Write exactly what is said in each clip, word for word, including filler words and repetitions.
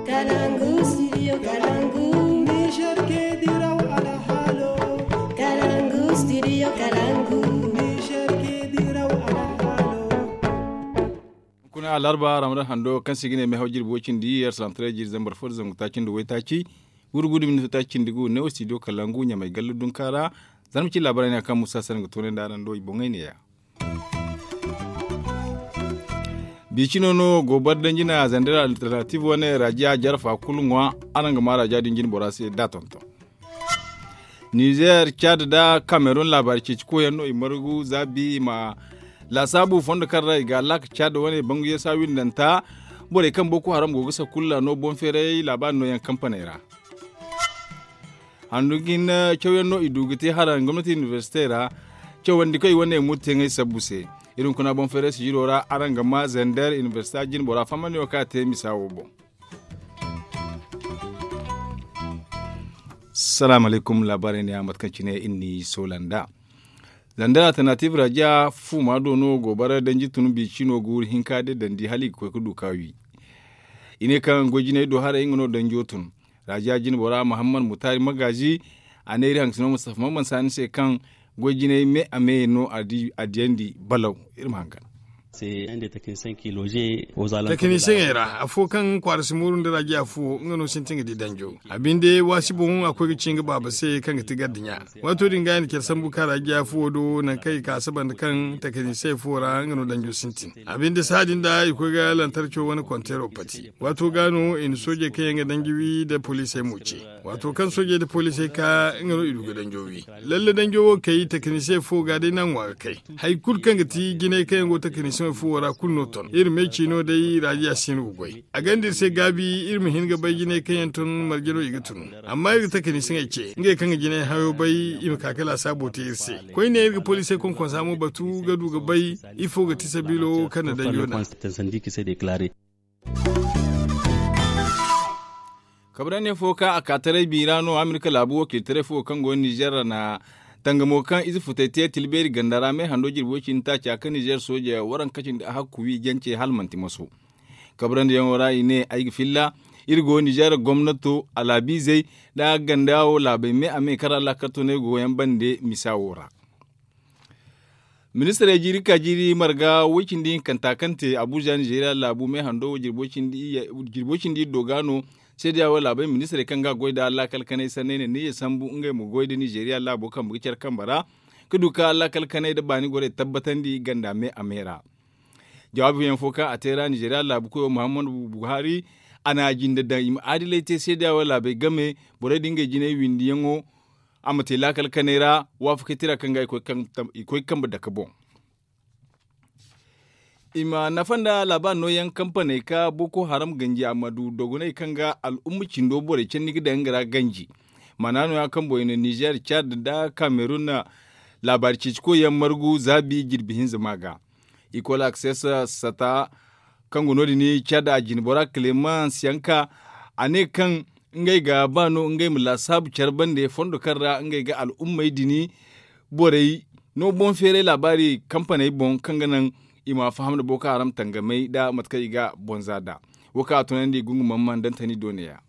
Kalangu studio kalangu. Niger ke diraw alhalo. Kalangu studio kalangu. Niger ke diraw alhalo. Kuna alarba ramadan hando kaŋ se i ga ne mehaw jirbi way cindi yer salam tare jiri zambar fo da zangu taaci nda way taaci. Wurgudu minti taaci cindi gu ne wo studio kalangu ɲamay gallu dunka ra. Zarma ci labaray ne kaŋ musa sanaŋ ga toonay nda araŋ do i boŋay ne ya. Biicino no gobar danjina zandar alternative wane rajiya jarfa kulu ŋwa. Araŋ ga ma rajiya din jin bora se da tonton. Nizer cad da cameroon labaari ceeci koyaŋ no i margu za bi i ma laasaabu fondo kaŋ ra i ga laaka cad wane bangu yasa windanta. Borey kaŋ boko haram go ga sakulla no boŋ feeray laabaari no yaŋ kampaney ra. Handu ga hin cawyaŋ no i du ga te haraŋ gomnati inibersite ra. Cawandi koy wane murteŋey sabbu se. Iri hunkuna boŋ feeray sijiro ra araŋ ga ma zender inibersita jine bora fahamandi wo kaŋ a te misa wo boŋ. Salaamu alaykum laabaarey ne a mate kaŋ cine iri n'i soola nd'a. Zandar alternative rajiya fuuma do no goobara danji tun biicino guuru hinka day dandi hala i ga koy ga du ka wi. I ne kaŋ goy jinay do haray nga no danjo tun. Rajiya jine bora muhammad mutaari magaazi. A ne iri hangasino mustafa mamman saani se kaŋ goy jinay me a me no a diyandi balaw. Iri ma hangan. Tekinisiyeŋey ra afo kaŋ kwaara si mooru nda rajiya fuwo nga no sintin ga di danjo. A binde waasi boŋ a koy ga ci nga baaba se kaŋ ga ti gardiɲa. Waato din ga i na care sambu ka rajiya fuwo do nangu kaŋ i ka saba nda kaŋ tekinisiyeŋ fuwo ra nga no danjo sintin. A binde saha din da i koy ga lantarco wane konteero pati. Waato ga no i na soojey kaŋ yaŋ ga danji wi nda poliisey mo ce. Waato kaŋ soojey nda poliisey ka nga no i du ga danjo wi. Lalle danjo wo kay tekinisiyeŋ fuwo ga day no a ŋwa ga kay. Hari kulu kaŋ ga ti jinay kaŋ yaŋ go tekinisiyeŋ fuwo ra kulu no ton iri me ciino day rajiya si hin ga goy. A gonda iri se gaabi iri ma hin ga bay jinay kaŋ yaŋ ton marje no i ga tun. Amma iri ga tekinisiyeŋey ce ngey kaŋ ga jinay hayo bay i ma ka ga laasaabo te iri se. Koyne iri ga poliisey konkonsa mo batu ga du ga bay ifo ga ti sabiilo kaŋ na danjo daŋ. Kabrandi fo kaŋ a ka taray biira no amerika laabu wakiiltaray fo kaŋ go nizer ra na tangamo kaŋ ize futay te tilbeeri ganda ra me hando jirbo cindi taaca kaŋ nizer sooje waranka cindi a hakku wi jance hala manti maso. Kabrandiyaŋo ra i ne ay ga filla iri go nizer gomnato alaabiizey nda ganda wo laabey me a me kaŋ ra laakarto no ay go yaŋ bande misa wo ra. Ministirey jiiri ka jiiri marga way cindi hinkanta kaŋ te abuja nizeeriya laabu me hando wo jirbo cindi iri do ga no. Seediya wo laabey ministirey kaŋ ga a goy nda laakal kanay sanney ne ni ye sambu ngey ma goy nda nizeeriya laabo kambe ga care kambe ra ga du ka laakal kanay nda baani gorey tabbatandi ganda me a me ra. Jawaabi fooyaŋ fo kaŋ a te ra nizeeriya laabu koyo muhammadu buhari a na a jinde daŋ i ma aadilay te seediya wo laabey game borey da ngey jinay windiyaŋo. A ma te laakal kanay ra waafakay tira kaŋ ga i koy kambe dake boŋ. I ma nafa nda laabaari nooyaŋ kampaney ka boko haram ganji a ma du dogoney kaŋ ga al'umma cindo borey candi ga daŋ nga ra ganji. Maana nooya kaŋ boŋ i na nizer cad nda kamerun laabaari ceeci koyyaŋ margu zaabi jirbi hinza ma ga. Ikol akses sata kaŋ go no- din cad a jine bora kilemans yanka a ne kaŋ ngey ga ba no ngey ma laasaabu care bande fondo kaŋ ra ngey ga al'ummey din borey no boŋ feeray laabaari kampaney boŋ kaŋ ga naŋ i ma faham nda boko haram tangamey nda mate kaŋ i ga boŋ za nd'a. Wo kaŋ a tunandi gungumaŋ ma ndantani do neeya.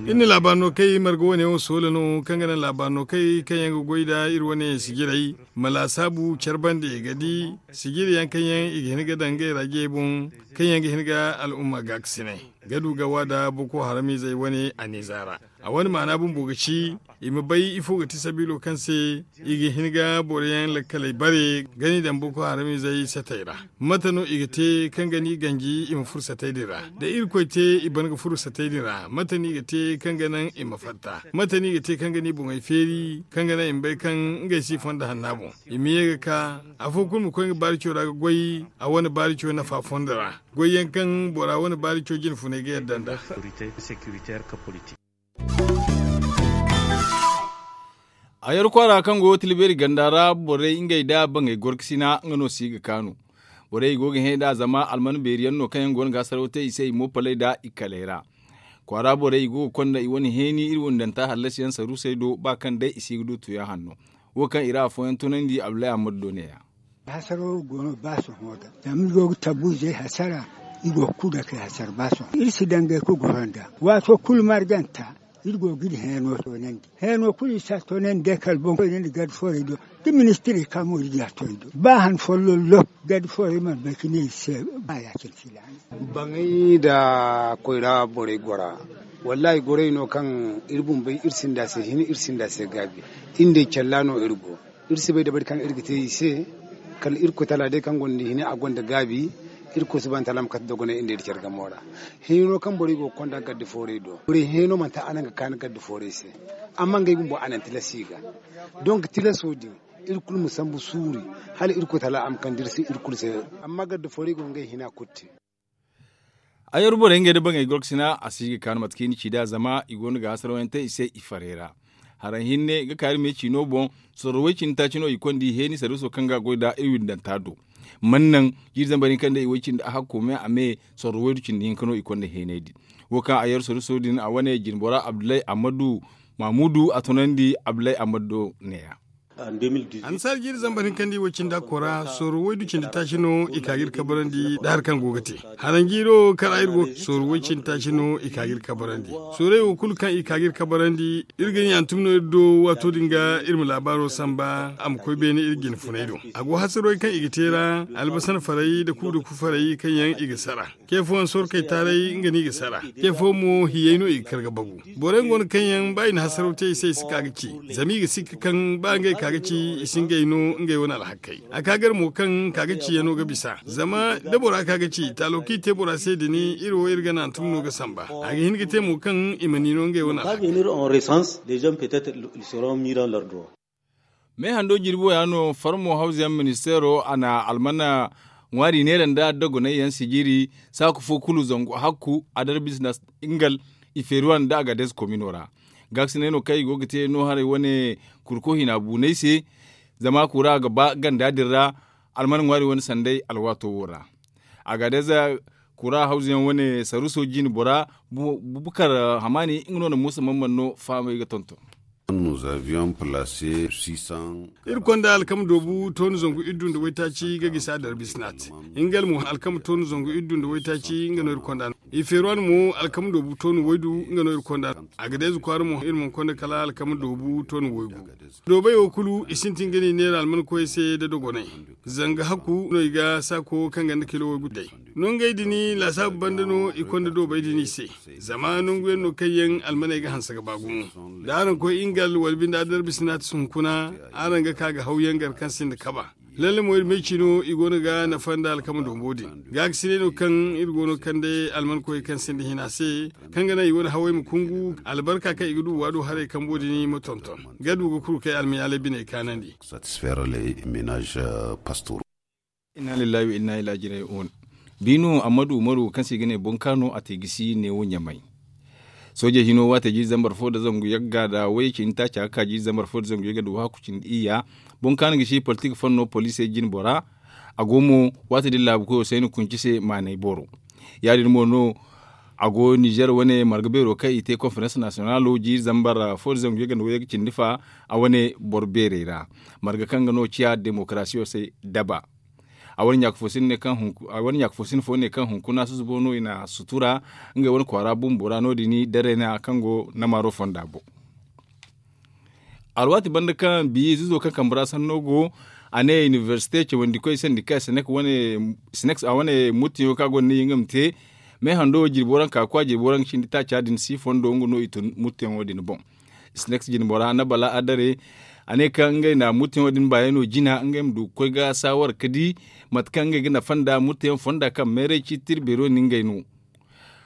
Iri na laabaari no kaŋ iri marga wane wo soola no kaŋ ga naŋ laabaari no kaŋ iri kaŋ yaŋ ga goy nda iri wane sijirey ma laasaabu care bande ga di sijiri yaŋ kaŋ yaŋ i ga hin ga daŋ ngey ra jey boŋ kaŋ yaŋ ga hin ga al'umma gaakasinay ga du ga wa nda boko haramiizey wane aniiza ra. A wane maana bumbo ga ci i ma bay ifo ga ti sabiilo kaŋ se i ga hin ga boro yaŋ lakkaley bare ga ni daŋ boko haramiizey satey ra. Mate no i ga te kaŋ ga ni ganji i ma furo satey din ra da irkoy te i ban ga furo satey din ra mate no i ga te kaŋ ga naŋ i ma fatta? Mate no i ga te kaŋ ga ni boŋey feeri kaŋ ga naŋ i ma bay kaŋ ngey si fonda hanna boŋ i ma ye ga ka afo kulu ma koy nga baarico ra ga goy a wane baarico nafa fondo ra goy yaŋ kaŋ bora wane baarico jine funay ga yadda nda. A yar kwaara kaŋ go tilbeeri ganda ra borey ngey nda baŋey gorkasina nga no si ga kaanu. Borey i go ga hẽ nd'a zama alman beeri yaŋ no kaŋ yaŋ go no ga a saraw te i se i mo paley nda i kaley ra. Kwaara borey i go ga konda i wane heeni iri wundanta hallasi yaŋ saruusey do ba kaŋ day i si ga du tuuyaŋ hanno. Wo kaŋ i ra afooyaŋ tunandi abdullahi ahmadu do neeya. Hasaro go no ba sohõ da zama iri go ga tabu izey hasara. I go ga kulu dake hasar ba sohõ iri si dangay ga goro nd'a waato kulu marganta. Iri go ga iri heeno toonandi heeno kulu i si a toonandi day kala boŋ koyne nda garde forey do. Da ministirey ka mo iri ga a to i do ba han folloŋ lok garde forey mana bay ga ne iri se. Ba ya-cine filaana. Baŋay nda koyra borey gora. Wallaahi gorey no kaŋ iri bumbey iri sinda se hin iri sinda se gaabi. Iri nda i calla no iri go. Iri si bay dabari kaŋ iri ga te i se. Kala irkoy tala day kaŋ gonda hina a gonda gaabi. Irkoy subahana taala ma kate dogonay iri nda iri care gamo ra. Hino kaŋ borey go ga konda garde foorey do borey hino manti a naŋ ga kaani garde foorey se. Amma ngey bumbo a naŋ tilas i ga. Donk tilaso din iri kulu ma sambu suuri hala irkoy tala a ma kande iri se iri kulu se. Amma garde foorey go ga ngey hina kulu te. Ay yer borey ngey nda baŋey gorkasina a si ga kaanu mate kaŋ i na ci nd'a zama i go no ga hasaraw yaŋ te i se i farey ra. Haraŋ hinne ga ka iri me ciino boŋ. Sorro way cindi taaci no i konda i heeni sarwiso kaŋ ga a goy nd'a iri windanta do. Mana naŋ jiiri zambar hinka nda i way cindi a hakko me a me. Sorro waydu cindi hinka no i konda heeney din. Wo kaŋ a yer sarwiso din a wane jinbora abdullahi ammadu mahmudu a tunandi abdullahi ammadu do neeya. Annasaara jiiri zambar hinka nda i way cindi a kora sorro waydu cindi taaci no i ka ga iri kabarandi nda hari kaŋ go ga te. Haranjiiro kar a iri go sorro way cindi taaci no i ka ga iri kabarandi. Sorrey wo kulu kaŋ i ka ga iri kabarandi iri ga ni hantum no iri do waato din ga iri ma laabaaro samba a ma koy beene iri jine funay do. A go hasarey kaŋ i ga te ra albasan farey nda kuudaku farey kaŋ yaŋ i ga sara. Ce fooyaŋ sorkey taaray nga no i ga sara. Ce fooyaŋ mo hiyey no i ga kar ga bagu. Borey go no kaŋ yaŋ ba i na hasaraw te i se i si ka ga ci. Zama i ga sikka kaŋ ba ngey ka ga ci i si ngey no ngey wane alhakey. A ka gar mo kaŋ ka ga ci yaŋ no ga bisa zama da bora ka ga ci taalo kaŋ i te bora se din iri wo iri ga naŋ hantum no ga samba. A ga hin ga te mo kaŋ i ma ni no ngey wane alhakey. Meehando jirbi wo ya no farmo hawza yaŋ ministeero a na almana ŋwaari neera nda dogonay yaŋ sijiri. Saaku fo kulu zangu hakku adarbis na ingal ifeeruwan nda agadez komino ra. Gaakasinay no kaŋ i go ga te no haray wane kurko hina buunay se. Zama kura ga ba ganda din ra almana ŋwaari wane sanday alwaato wo ra. Agadez kura hawza yaŋ wane saruso jine bora bukar hamaani nga no na muusa man man no fahamay ga tonton. Iri konda alkama doobu tooni zangu iddu nda waytaaci ga gisi a darbisinaat. Nga mo alkama tooni zangu iddu nda waytaaci nga no iri konda. I feeruwan mo alkama doobu tooni waydu nga no iri konda. Agadez kwaara mo iri mana konda kala alkama doobu tooni waygu. Doobay wo kulu i sintin ga ni neera almankoy se nda dogonay. Zanga hakku no i ga saako kaŋ ganda kilo waygu day. Nongey din laasaabu banda no i konda doobay din i se. Zama nangu yaŋ no kaŋ yaŋ almaney ga hanse ga ba gumo. Da araŋ koy ingal wala binde adarbi sinaati hunkuna araŋ ga ka ga haw yaŋ gar kaŋ sinda kaba. Lalle mo iri may cino i go no ga nafa nda alkama dombo din. Gaakasinay no kaŋ iri go no kande almankoy kaŋ sinda hina se. Kaŋ ga naŋ i wane hawey ma kungu albarka kaŋ i ga du waado haray kambo din ma tonton. Ga du ga kuru kay almayaalay biney kaanandi. Satisfere le menage pastor. Inna lillahi wa inna ilaihi raji'un. Biino ammadu umaru kaŋ se i ga ne boŋ kaano a te gisi neewo ɲamay. Soojey hino waate jiiri zambar fo nda zangu yagga nda wayye cindi taaca ga ka jiiri zambar fo nda zangu yagga nda wahakku cindi iyya. Boŋ kaano gisi politik fanno poliisey jine bora. A go mo waate din laabu koyo sayni kunci se maanay boro. Ya- din mo no a go nizer wane marga beero kaŋ i te konferens nasiyonalo jiiri zambar fo nda zangu yagga nda wayye ga cindi fa. A wane boro beerey ra marga kaŋ ga no ciya demokarasiyo se daba. A wane ɲaaka fo sinda fo ne kaŋ hunkuna susubo no i na sutura ngey wane kwaara bumbo ra no- din dareena kaŋ go namaaro fonda boŋ. Alwaati banda kaŋ biya izo kaŋ kambe ra sanno go a ne inibersite cawandikoy sandika sinex a wane muttiyaŋo kaŋ a gonda ne nga ma te. Meehando jirbi waranka ga koy a jirbi waranka cindi taaca din si fondo nga no i tun muttiyaŋo din boŋ. Sinex jinbora na bala adare a ne kaŋ ngey na muttiyaŋo din baayano jina ngey ma du ga koy ga saawara ga di mate kaŋ ngey ga nafa nda muttiyaŋ fonda kaŋ meeray ciiti tirbeero no ngey no.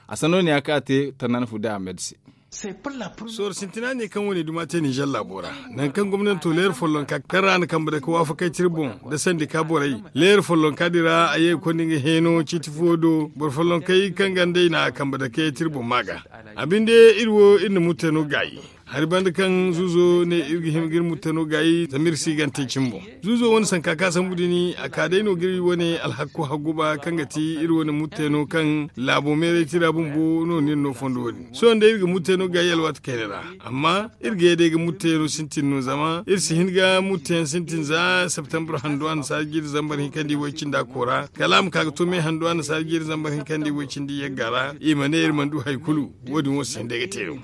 A sanno ne ya kaŋ a te tanaana fu day ahmed se. Sooro sintina ne kaŋ wane duma te ninzeer laabo ra, nangu kaŋ gomnanto leera follonka kaŋ ra a na kambe dake waafakey tira boŋ nda sandika borey. Leera follonka din ra a ye ga konda nga heeno ciiti fo do boro follonkey kaŋ ganda i na kambe dake tira boŋ ma ga. A binde iri wo iri na mutteeno gaayi. Hari banda kaŋ zuuzo ne iri ga hima ga iri mutteeno gaayi zama iri si gante cimi boŋ. Zuuzo wane sanka ka sambu din a ka day no ga iri wane alhakko hagguba kaŋ ga ti iri wane mutteeno kaŋ laabo meeray tira bumbo no no iri no fondo wo- din sohõ day iri ga mutteeno gaayi alwaati kayna ra. Amma iri ga ye day ga mutteeno sintin no zama iri si hin ga mutteyaŋ sintin za septembre hando annasaara jiiri zambar hinkandi way cindi a koora kala a ma ka ga to me hando annasaara jiiri zambar hinkandi way cindi yagga ra i ma ne iri mana du hari kulu. Wo- din wo si hin day ga te no.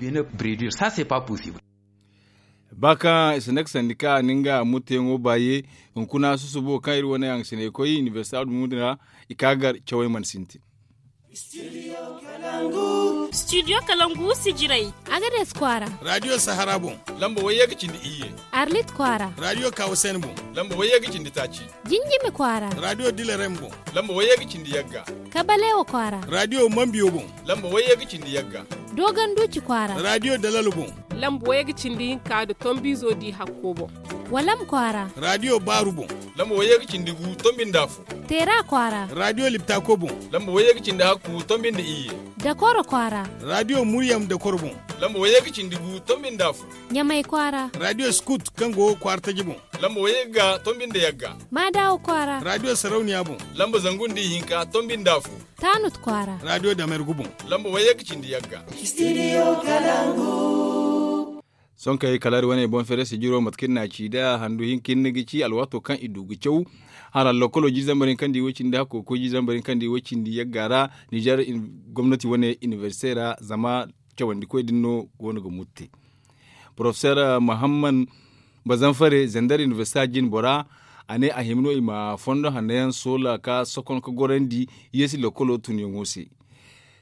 Ba kaŋ i si ne ga sandi kaŋ a na nga mutteyaŋo baaye hunkuna susubo kaŋ iri wane hangasiney koy inibersita dumuni ra i ka gar cawey mana sintin. Studio kalangu sijiray. Agades kwaara. Radio sahara boŋ. Lamba wayye ga cindi iyye. Arlit kwaara. Radio kawasen boŋ. Lamba wayye ga cindi taaci. Jinjimi kwaara. Radio dilarem boŋ. Lamba wayye ga cindi yagga. Kabalewa kwaara. Radio mambiyo boŋ. Lamba wayye ga cindi yagga. Dogon duci kwaara. Radio dalalo boŋ. Lamba wayye ga cindi hinka da tombizo di hakko boŋ. Walam kwaara. Radio baaru boŋ. Lamba wayye ga cindi gu tombi nda afo. Teera kwaara. Radio liptako boŋ. Lamba wayye ga cindi hakku tombi nda iyye. Dakoro kwaara. Radio muryam dakoro boŋ. Lamba wayye ga cindi gu tombi nda afo. Ɲamay kwaara. Radio skut kaŋ go kwaara taji boŋ. Lamba wayye ga tombi nda yagga. Maadawa kwaara. Radio sarauniya boŋ. Lamba zangu nda ihinka tombi nda afo. Taanut kwaara. Radio damergu boŋ. Lamba wayye ga cindi yagga. Sonkey kala iri wane boŋ feere sijiro mate kaŋ iri n'a ci nd'a handu hinka hinne ga ci alwaato kaŋ i du ga caw. Hara lokolo jiiri zambar hinkandi way cindi hakko ga koy jiiri zambar hinkandi way cindi yagga ra. Nizer gomnati wane inibersite ra zama cawandikoy din no go no ga mutte. Porofeser muhammad bazanfare zandar inibersita jine bora a ne a hima no i ma fondo hanno yaŋ soola ka sokon ka gorandi yeesi lokolo tunyaŋo se.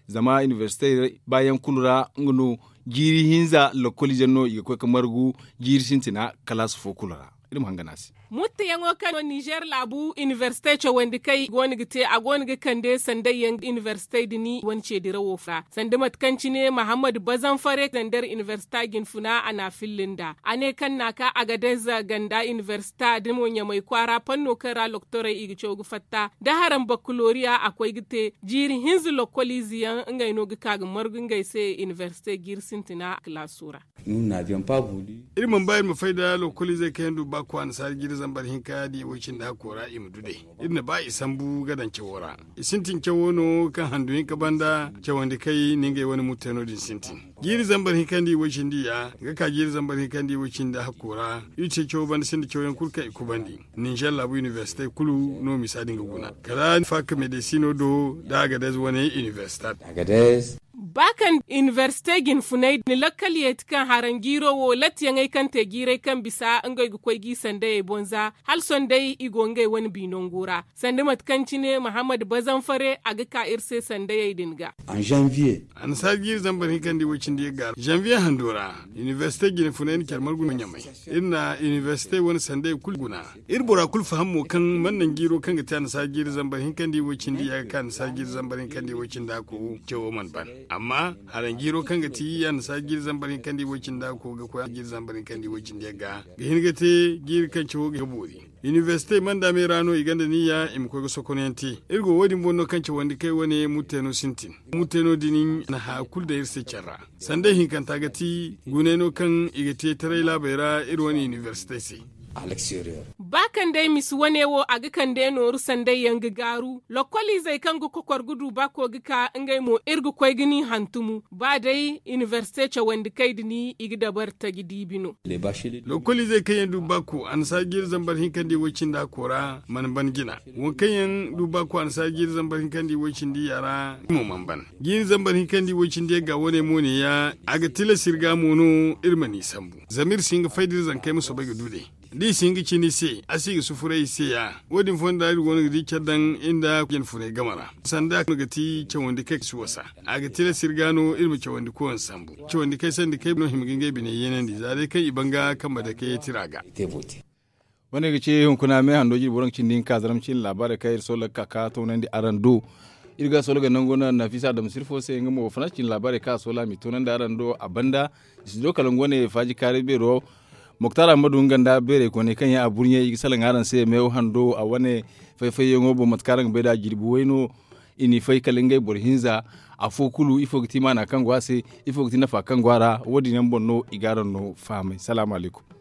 Zama inibersite baayaŋ kulu ra nga no jiiri hinza lokoliize no i ga koy ga margu jiiri sintina kalaasi fo kulu ra. Iri ma hangan a se. Mutteyaŋo kaŋ no nizer laabu inibersite cawandi kay go no ga te a go no ga kande sanday yaŋ inibersite din wane ceedirawo ra sanda mate kaŋ cine mahammad bazanfare zandar inibersita jinfuna a n'a filla nd'a a ne kaŋ n'a ka agadez ganda inibersita da mo ɲamay kwaara panno kaŋ ra loktorey i ga caw ga fatta da haram bakkaloriya a koy ga te jiiri hinza lokkoliize yaŋ ngey no ga ka ga margu ngey se inibersite jiiri sintina kalaaso ra. Iri mana ba iri ma fay nda lokoliizey kaŋ yaŋ du ba koy annasaara jiiri zambar hinka da i way cindi hakko ra i ma du day. Iri na ba i sambu ga daŋ cawo ra. I sintin cawo no kaŋ handu hinka banda cawandi kay na ngey wane mutteeno din sintin. Jiiri zambar hinka nda i way cindi ya ga ka jiiri zambar hinka nda i way cindi hakko ra. Iri te cawo banda sinda cawo yaŋ kulu kaŋ i kubandi. Ninzer laabu inibersite kulu no misa din ga guna kala fak medesino do da agadez wane inibersita. Ba kaŋ inibersite jinfuney na lakkal yeeti kaŋ haranjiiro wo lattiyaŋey kaŋ te jiirey kaŋ bisa ngey ga koy g'i sandayey boŋ za hala sohõ day i go ngey wane bi nango ra sanda mate kaŋ cine mahammad bazanfare a ga ka iri se sandayey din ga. Annasaara jiiri zambar hinkandi way cindi yagga ra zanviye hando ra. Inibersite jinfuney na care margu no ɲamay. Iri na inibersite wane sandayey kulu guna. Iri bora kulu faham mo kaŋ mana naŋ jiiro kaŋ ga te annasaara jiiri zambar hinkandi way cindi ya ga ka annasaara jiiri zambar hinkandi way cindi a ko cawo mana ban. Amma haranjiiro kaŋ ga ti annasaara jiiri zambar hinkandi way cindi a ko ga koy jiiri zambar hinkandi way cindi ya ga ga hin ga te jiiri kaŋ cawo ga boori. Inibersite manda me ra no i gonda niyya i ma koy ga sokonayaŋ te. Iri go wo- din boŋ no kaŋ cawandi kay wane mutteeno sintin. Mutteeno din na haya kulu daŋ iri se care ra. Sanday hinkanta ga ti guney no kaŋ i ga te taray laabey ra iri wane inibersitey se. Ba kaŋ day misi wane wo a ga kande nooru sanday yaŋ ga gaaru lokkoliizey kaŋ ga kokor ga du ba ko ga ka ngey mo iri ga koy ga ni hantumu ba day inibersite cawandi kay din i ga dabari taji diibi no. Lokkoliizey kaŋ yaŋ du ba ko annasaara jiiri zambar hinkandi way cindi a koora mana ban jina. Waŋ kaŋ yaŋ du ba ko annasaara jiiri zambar hinkandi way cindi ya ra i mo mana ban. Jiiri zambar hinkandi way cindi yagga wane mo ne ya a ga tilas iri ga mo no iri ma ni sambu zama iri si hin ga fay da iri zankey ma soobay ga du day. Da i si hin ga cina i se a si ga sufuray i se ya. Wo- din fonda iri go no ga di care daŋ iri nda jinfuney game ra sanda no ga ti cawandi kay si wasa. A ga tilas iri ga no iri ma cawandi koyaŋ sambu. Cawandi kay sanda kay no hima ga ngey bine yeenandi za day kaŋ i ban ga kambe dake tira ga. Wane ga ci hunkuna me hando jiri boro ga cindi hinka zaram cine laabaarey kaŋ iri soola ga ka ka toonandi araŋ do. Iri ga soola ga nangu no nafisa adama sirfo se nga mo faransi cine laabaarey kaŋ a soola a m'i toonandi araŋ do a banda. Studio kalangu wane faaji kaari beero. Moktar ahmadu nga nda beerey kooney kaŋ yaŋ a burɲey i ga salaŋ araŋ se meew hando a wane fay-fayyaŋo boŋ mate kaŋ araŋ ga bay nd'a jirbi way no. i n'i fay kala ngey boro hinza. Afo kulu ifo ga ti maana kaŋ go a se? Ifo ga ti nafa kaŋ go a ra? Wo- din yaŋ boŋ no i ga araŋ no fahamay. Salaamu alaykum.